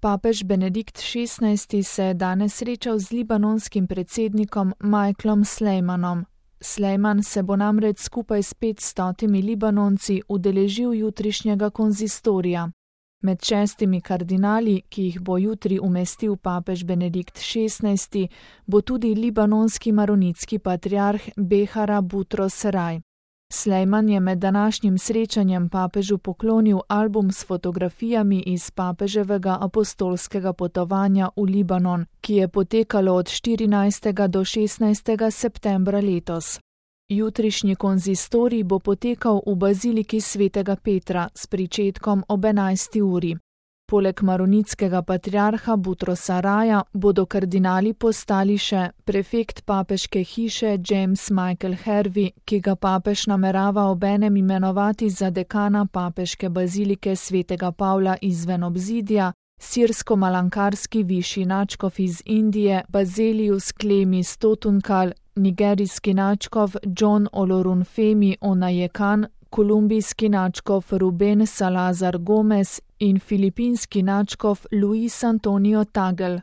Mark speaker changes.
Speaker 1: Papež Benedikt XVI se je danes srečal z libanonskim predsednikom Michaelom Sleimanom. Sleiman se bo namreč skupaj s 500 Libanonci udeležil jutrišnjega konzistorija. Med 6 kardinali, ki jih bo jutri umestil papež Benedikt XVI, bo tudi libanonski maronitski patriarh Behara Butros Raj. Sleiman je med današnjim srečanjem papežu poklonil album s fotografijami iz papeževega apostolskega potovanja v Libanon, ki je potekalo od 14. do 16. septembra letos. Jutrišnji konzistorij bo potekal v baziliki svetega Petra s pričetkom ob 11. uri. Poleg maronitskega patriarha Butrosa Raja bodo kardinali postali še prefekt papeške hiše James Michael Hervey, ki ga papež namerava obenem imenovati za dekana papeške bazilike svetega Pavla izven obzidja, sirsko-malankarski višji nadškof iz Indije Bazelius Klemis Totunkal, nigerijski nadškof John Olorunfemi Onajekan, kolumbijski nadškof Ruben Salazar Gomez in filipinski nadškof Luis Antonio Tagel.